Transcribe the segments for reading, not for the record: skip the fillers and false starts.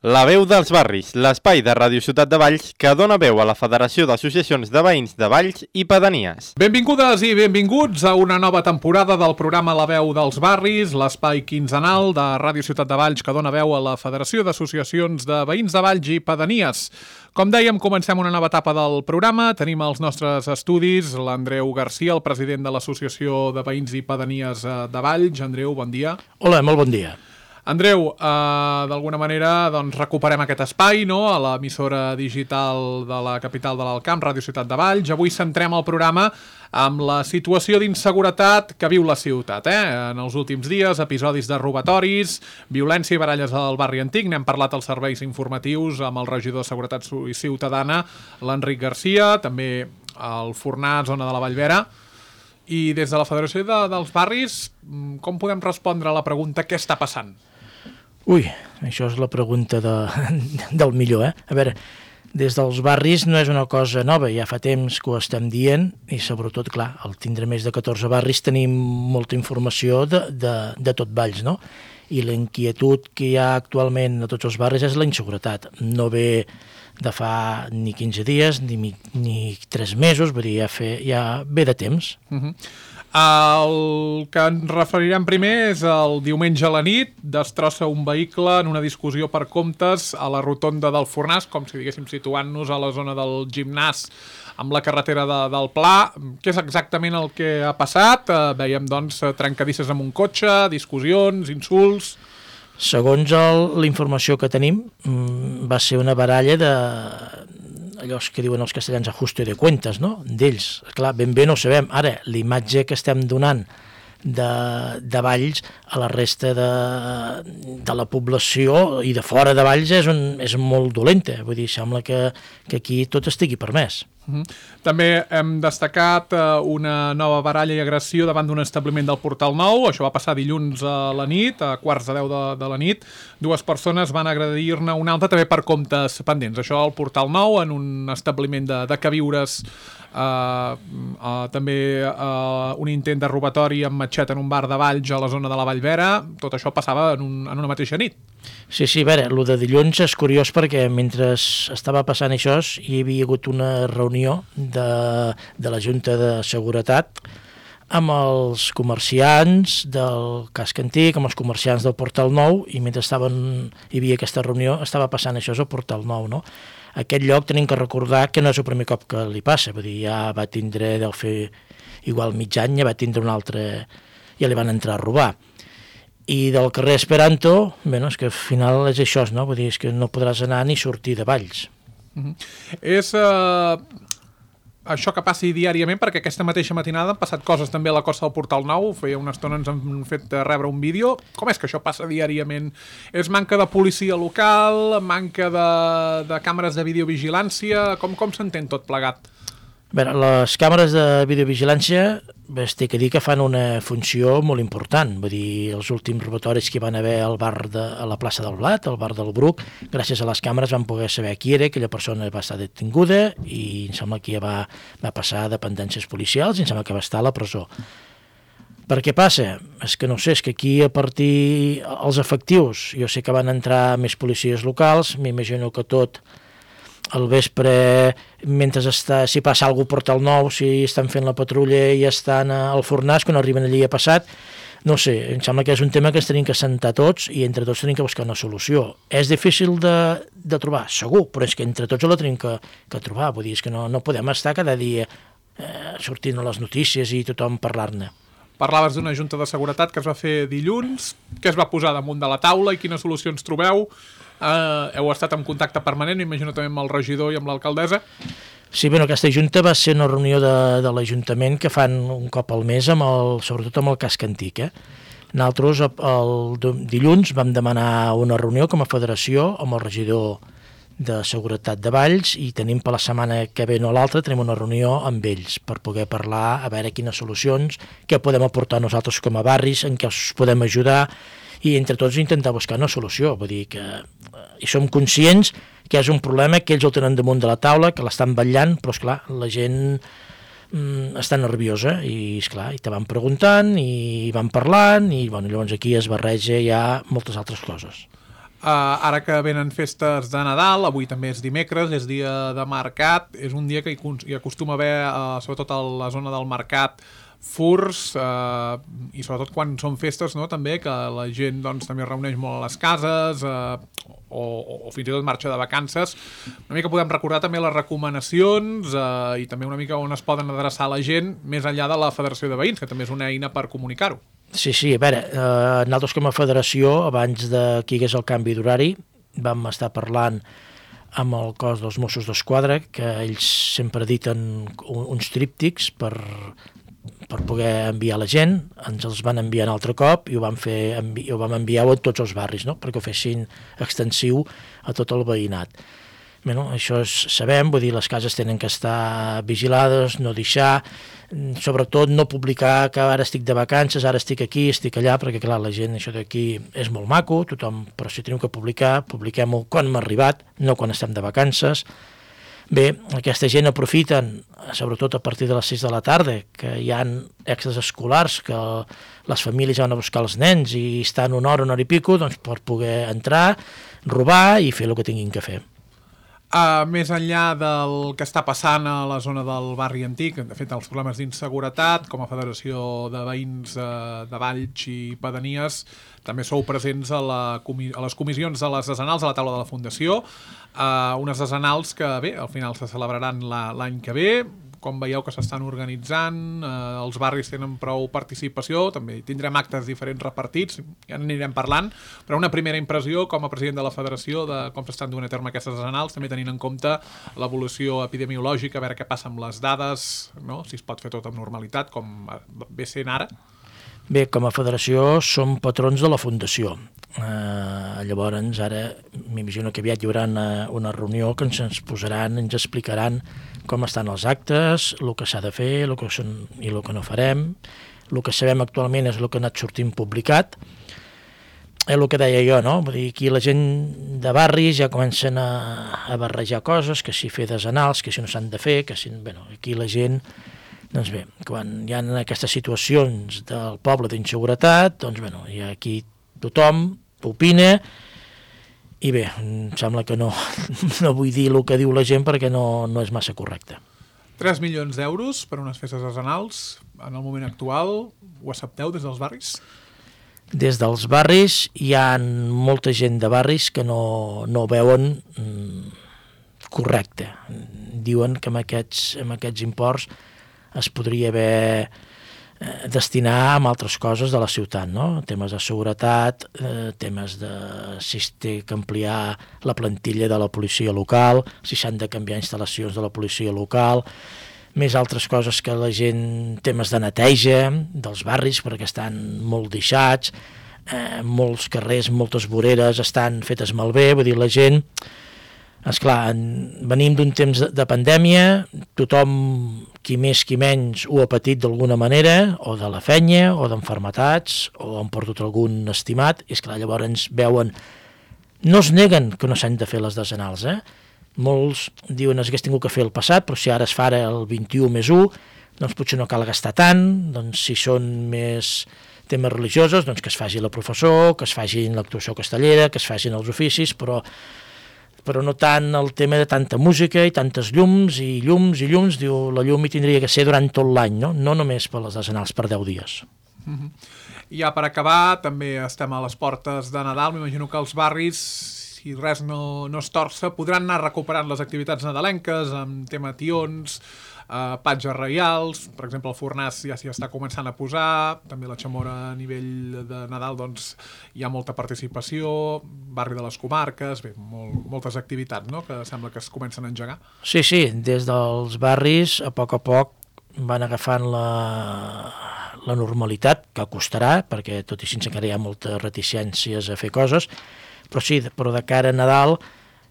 La veu dels barris, l'espai de Ràdio Ciutat de Valls que dona veu a la Federació d'Associacions de Veïns de Valls i Pedanies. Benvingudes i benvinguts a una nova temporada del programa La veu dels barris, l'espai quinzenal de Ràdio Ciutat de Valls que dona veu a la Federació d'Associacions de Veïns de Valls i Pedanies. Com dèiem, comencem una nova etapa del programa. Tenim als nostres estudis l'Andreu Garcia, el president de l'Associació de Veïns i Pedanies de Valls. Andreu, bon dia. Hola, molt bon dia. Andreu, d'alguna manera recuperem aquest espai, no?, a l'emissora digital de la capital de l'Alt Camp, Ràdio Ciutat de Valls. Avui centrem el programa amb la situació d'inseguretat que viu la ciutat. En els últims dies, episodis de robatoris, violència i baralles al barri antic. N'hem parlat als serveis informatius amb el regidor de Seguretat Ciutadana, l'Enric Garcia, també al Fornar, zona de la Vallvera. I des de la Federació dels Barris, com podem respondre a la pregunta què està passant? Ui, això és la pregunta del millor, A veure, des dels barris no és una cosa nova, ja fa temps que ho estem dient i sobretot, clar, al tindre més de 14 barris tenim molta informació de tot Valls, no? I la inquietud que hi ha actualment a tots els barris és la inseguretat. No ve de fa ni 15 dies ni 3 mesos, vull dir, ja ve de temps. El que ens referirem primer és el diumenge a la nit, destrossa un vehicle en una discussió per comptes a la rotonda del Fornàs, com si diguéssim situant-nos a la zona del gimnàs amb la carretera del Pla. Què és exactament el que ha passat? Veiem, doncs, trencadisses amb un cotxe, discussions, insults... Segons la informació que tenim, va ser una baralla de allò que diuen els castellans ajuste de cuentas, no? D'ells. Clar, ben bé no ho sabem. Ara, l'imatge que estem donant de Valls a la resta de la població i de fora de Valls és molt dolenta. Vull dir, sembla que aquí tot estigui permès. També hem destacat una nova baralla i agressió davant d'un establiment del Portal Nou. Això va passar dilluns a la nit, a 9:15 de la nit. 2 persones van agredir-ne una altra també per comptes pendents. Això al Portal Nou, en un establiment de queviures. També un intent de robatori amb matxeta en un bar de Valls a la zona de la Vallvera. Tot això passava en una mateixa nit. Sí, a veure, el de dilluns és curiós perquè mentre estava passant això hi havia hagut una reunió de la Junta de Seguretat amb els comerciants del casc antic, amb els comerciants del Portal Nou, i mentre hi havia aquesta reunió estava passant això al Portal Nou, no? Aquest lloc tenim que recordar que no és el primer cop que li passa, vull dir, ja va tindre, deu fer igual mig any, ja va tindre un altre, ja li van entrar a robar. I del carrer Esperanto, bé, és que al final és això, no? Vull dir, és que no podràs anar ni sortir de Valls. És això que passi diàriament, perquè aquesta mateixa matinada han passat coses també a la costa del Portal Nou. Feia una estona ens han fet rebre un vídeo. Com és que això passa diàriament? És manca de policia local, manca de càmeres de videovigilància? Com s'entén tot plegat? Bé, les càmeres de videovigilància es té que dir que fan una funció molt important. Vull dir, els últims robatoris que hi van haver al bar a la plaça del Blat, al bar del Bruc, gràcies a les càmeres van poder saber qui era, aquella persona va estar detinguda i em sembla que ja va passar a dependències policials i em sembla que va estar a la presó. Per què passa? És que no sé, és que aquí a partir els efectius, jo sé que van entrar més policies locals, m'imagino que tot al vespre, mentre si passa alguna cosa Portal Nou, si estan fent la patrulla i estan al Fornàs, quan arriben allí ha passat, no sé, em sembla que és un tema que ens tenim que sentar tots i entre tots tenim que buscar una solució. És difícil de trobar, segur, però és que entre tots la tenim que trobar, vull dir, és que no podem estar cada dia sortint a les notícies i tothom parlar-ne. Parlaves d'una junta de seguretat que es va fer dilluns, que es va posar damunt de la taula i quines solucions trobeu? Heu estat en contacte permanent, m'imagino també amb el regidor i amb l'alcaldessa? Sí, bé, aquesta junta va ser una reunió de l'Ajuntament que fan un cop al mes, sobretot amb el casc antic. Nosaltres el dilluns vam demanar una reunió com a federació amb el regidor de Seguretat de Valls i tenim per la setmana que ve no l'altra, tenim una reunió amb ells per poder parlar, a veure quines solucions, què podem aportar nosaltres com a barris, en què els podem ajudar i entre tots intentar buscar una solució. Vull dir que som conscients que és un problema que ells el tenen damunt de la taula, que l'estan vetllant, però esclar, la gent està nerviosa i esclar, i te van preguntant i van parlant i bueno, llavors aquí es barreja ja moltes altres coses. Ara que venen festes de Nadal, avui també és dimecres, és dia de mercat, és un dia que hi acostuma a haver, sobretot a la zona del mercat, furs, i sobretot quan són festes, no? També que la gent doncs, també es reuneix molt a les cases, o fins i tot marxa de vacances. Una mica podem recordar també les recomanacions i també una mica on es poden adreçar la gent més enllà de la Federació de Veïns, que també és una eina per comunicar-ho. Sí, a veure, nosaltres com a federació, abans de que hi hagués el canvi d'horari, vam estar parlant amb el cos dels Mossos d'Esquadra, que ells sempre editen uns tríptics per poder enviar la gent, ens els van enviar un altre cop i ho vam enviar a tots els barris, no? Perquè ho fessin extensiu a tot el veïnat. Bueno, això sabem, vull dir, les cases tenen que estar vigilades, no deixar, sobretot no publicar que ara estic de vacances, ara estic aquí, estic allà, perquè clar, la gent, això d'aquí és molt maco, tothom, però si tenim que publicar, publiquem-ho quan hem arribat, no quan estem de vacances. Bé, aquesta gent aprofiten, sobretot a partir de les 6 de la tarda, que hi ha extras escolars, que les famílies van a buscar els nens i estan una hora i pico, doncs per poder entrar, robar i fer el que tinguin que fer. Més enllà del que està passant a la zona del barri antic, de fet els problemes d'inseguretat, com a Federació de Veïns de Valls i Pedanies, també sou presents a les comissions de les desenals a la taula de la Fundació, unes desenals que bé, al final se celebraran l'any que ve. Com veieu que s'estan organitzant, els barris tenen prou participació, també tindrem actes diferents repartits, ja n'anirem parlant, però una primera impressió com a president de la Federació de com s'estan duent a terme aquestes desenals, també tenint en compte l'evolució epidemiològica, a veure què passa amb les dades, no? Si es pot fer tot amb normalitat, com ve sent ara. Bé, com a federació som patrons de la Fundació. Llavors, ara m'imagino que aviat hi haurà una reunió que ens posaran, ens explicaran com estan els actes, el que s'ha de fer, el que són i el que no farem. El que sabem actualment és el que ha anat sortint publicat. És el que deia jo, no? Vull dir, aquí la gent de barris ja comencen a barrejar coses, que si fer desenals, que si no s'han de fer, que si... Bueno, aquí la gent... Doncs bé, quan hi ha aquestes situacions del poble d'inseguretat, doncs bueno, hi ha aquí tothom opina i bé, em sembla que no vull dir el que diu la gent perquè no és massa correcte. 3 milions d'euros per unes festes desenals en el moment actual, ho accepteu des dels barris? Des dels barris hi ha molta gent de barris que no veuen correcte. Diuen que amb aquests imports es podria haver destinar a altres coses de la ciutat, no? Temes de seguretat, temes de si es té que ampliar la plantilla de la policia local, si s'han de canviar instal·lacions de la policia local, més altres coses que la gent, temes de neteja dels barris, perquè estan molt deixats, molts carrers, moltes voreres estan fetes malbé, vull dir, la gent... Esclar, venim d'un temps de pandèmia, tothom, qui més qui menys, ho ha patit d'alguna manera, o de la feina, o d'enfermetats, o han perdut algun estimat, i esclar, llavors ens veuen... No es neguen que no s'han de fer les desenals, Molts diuen que hagués tingut que fer el passat, però si ara es fa el 21 més 1, doncs potser no cal gastar tant, doncs si són més temes religiosos, doncs que es faci la professor, que es facin l'actuació castellera, que es facin els oficis, però no tant el tema de tanta música i tantes llums i llums, diu, la llum hi tindria que ser durant tot l'any, no només per les desenals, per 10 dies. Ja per acabar, també estem a les portes de Nadal, m'imagino que els barris, si res no es torça, podran anar recuperant les activitats nadalenques amb tema tions, patges reials, per exemple el Fornàs ja s'hi està començant a posar, també la Xamora a nivell de Nadal doncs hi ha molta participació, barri de les comarques, bé, moltes activitats, no?, que sembla que es comencen a engegar. Sí, des dels barris a poc van agafant la normalitat, que costarà, perquè tot i sense encara hi ha moltes reticències a fer coses, però de cara a Nadal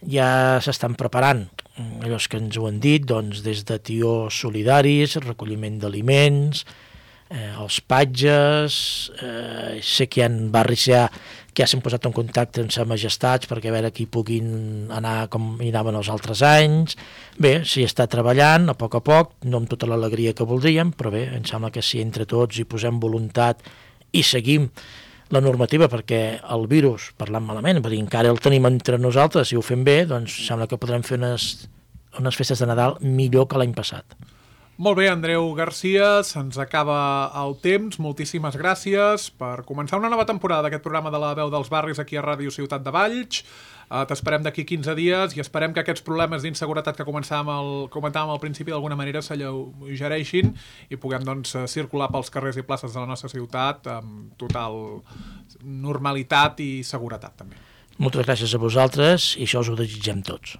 ja s'estan preparant. Allò que ens ho han dit, doncs, des de tiors solidaris, recolliment d'aliments, els patges, sé que hi ha barris que ja s'han posat en contacte amb Sa Majestats perquè a veure qui puguin anar com hi anaven els altres anys. Bé, s'hi està treballant a poc, no amb tota l'alegria que voldríem, però bé, em sembla que si entre tots hi posem voluntat i seguim la normativa, perquè el virus, parlant malament, vull dir, encara el tenim entre nosaltres, si ho fem bé, doncs sembla que podrem fer unes festes de Nadal millor que l'any passat. Molt bé, Andreu Garcia, se'ns acaba el temps. Moltíssimes gràcies per començar una nova temporada d'aquest programa de la veu dels barris aquí a Ràdio Ciutat de Valls. T'esperem d'aquí 15 dies i esperem que aquests problemes d'inseguretat que comentàvem al principi d'alguna manera s'alleugereixin i puguem doncs, circular pels carrers i places de la nostra ciutat amb total normalitat i seguretat també. Moltes gràcies a vosaltres i això us ho desitgem tots.